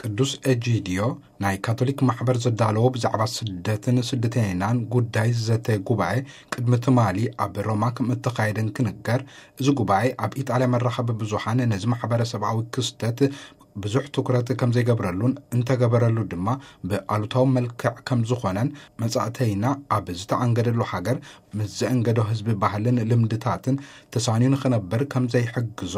ቅዱስ ኤጂዲዮ ናይ ካቶሊክ ማሕበር ዘዳለዎ ብዛዕባ ስደትን ስደተኛን ጉዳይ ዘተ ጉባኤ ቅድሚ ትማሊ ኣብ ሮማ ከም እተኻየደ እንክንገር፣ እዚ ጉባኤ ኣብ ኢጣልያ መራኸቢ ብዙሓን ነዚ ማሕበረሰብኣዊ ክስተት ብዙሕ ትኩረት ከም ዘይገብረሉን እንተገበረሉ ድማ ብኣሉታዊ መልክዕ ከም ዝኾነን መጻእተይና ኣብ ዝተኣንገደሉ ሃገር ምስ ዘእንገዶ ህዝቢ ባህልን ልምድታትን ተሳንዩ ንኽነብር ከም ዘይሕግዞ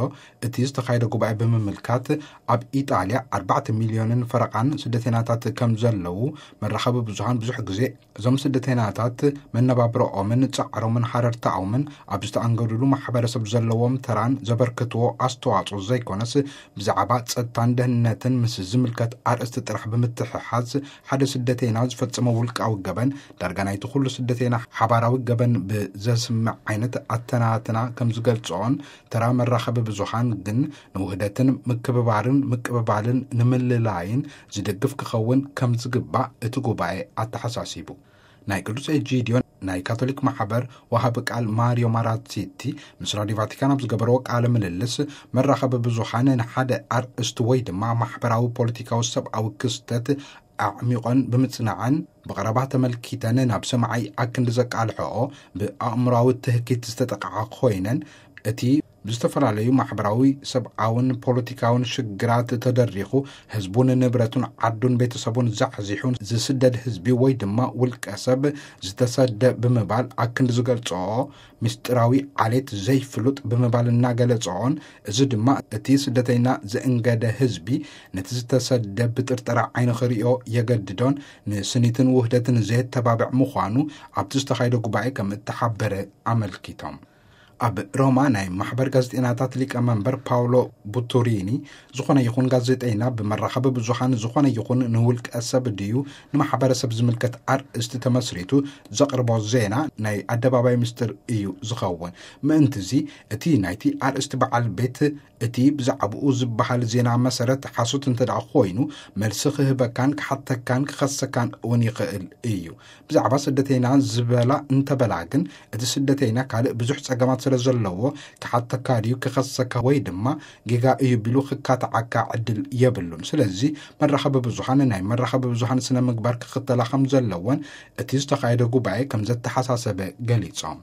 እቲ ዝተኻየደ ጉባኤ ብምምልካት፣ ኣብ ኢጣልያ ኣርባዕተ ሚልዮንን ፈረቓን ስደተይናታት ከም ዘለዉ መራኸቢ ብዙሃን ብዙሕ ግዜ እዞም ስደተይናታት መነባብረኦምን ጻዕሮምን ሃረርታኦምን ኣብ ዝተኣንገዱሉ ማሕበረሰብ ዘለዎም ተራን ዘበርክትዎ ኣስተዋጽኦ ዘይኮነስ፣ ብዛዕባ ጸጥታን ደህንነትን ምስ ዝምልከት ኣርእስቲ ጥራሕ ብምትሕሓዝ ሓደ ስደተይና ዝፈጸመ ውልቃዊ ገበን ዳርጋ ናይቲ ኩሉ ስደተይና ሓባራዊ ገበን ብዘስምዕ ዓይነት ኣተናትና ከም ዝገልጽኦን፣ ተራ መራኸቢ ብዙሃን ግን ንውህደትን ምክብባርን ምቅብባልን ንምልላይን ዝድግፍ ክኸውን ከም ዝግባእ እቲ ጉባኤ ኣተሓሳሲቡ። ናይ ቅዱስ ኤጂዲዮ ናይ ካቶሊክ ማሕበር ወሃቢ ቃል ማሪዮ ማራሲቲ ምስ ራዲዮ ቫቲካን ኣብ ዝገበረዎ ቃለ ምልልስ፣ መራኸቢ ብዙሃን ንሓደ ኣርእስቲ ወይ ድማ ማሕበራዊ፣ ፖለቲካዊ፣ ሰብኣዊ ክስተት ኣዕሚቖን ብምጽናዕን ብቐረባ ተመልኪተን ናብ ሰማዓይ ኣክንዲ ዘቃልሕኦ ብኣእምሮኣዊ ትህኪት ዝተጠቕዓ ኮይነን፣ እቲ ብዝተፈላለዩ ማሕበራዊ፣ ሰብኣውን ፖለቲካውን ሽግራት ተደሪኹ ህዝቡን ንብረቱን ዓዱን ቤተሰቡን ዛሕዚሑን ዝስደድ ህዝቢ ወይ ድማ ውልቀ ሰብ ዝተሰደ ብምባል ኣክንዲ ዝገልጽኦ ምስጢራዊ ዓሌት ዘይፍሉጥ ብምባል እናገለጽኦን፣ እዚ ድማ እቲ ስደተይና ዘእንገደ ህዝቢ ነቲ ዝተሰደ ብጥርጠራ ዓይኒ ክርእዮ የገድዶን ንስኒትን ውህደትን ዘየተባብዕ ምዃኑ ኣብቲ ዝተኻየደ ጉባኤ ከም እተሓበረ ኣመልኪቶም። ኣብ ሮማ ናይ ማሕበር ጋዜጠይናታት ሊቀመንበር ፓውሎ ቡቱሪኒ፣ ዝኾነ ይኹን ጋዜጠይና ብመራኸቢ ብዙሃን ዝኾነ ይኹን ንውልቀ ሰብ ድዩ ንማሕበረሰብ ዝምልከት ኣርእስቲ ተመስሪቱ ዘቕርቦ ዜና ናይ ኣደባባይ ምስጢር እዩ ዝኸውን። ምእንትዚ እቲ ናይቲ ኣርእስቲ በዓል ቤት እቲ ብዛዕባኡ ዝበሃል ዜና መሰረት ሓሶት እንተ ደኣ ኮይኑ፣ መልሲ ክህበካን ክሓተካን ክኸሰካን እውን ይኽእል እዩ። ብዛዕባ ስደተይና ዝበላ እንተበላ ግን፣ እቲ ስደተይና ካልእ ብዙሕ ጸገማት ስለ ዘለዎ፣ ክሓተካ ድዩ ክኸሰካ ወይ ድማ ጌጋ እዩ ቢሉ ክካትዓካ ዕድል የብሉን። ስለዚ መራኸቢ ብዙሃን ናይ መራኸቢ ብዙሃን ስነ ምግባር ክኽተላ ከም ዘለወን እቲ ዝተኻየደ ጉባኤ ከም ዘተሓሳሰበ ገሊጾም።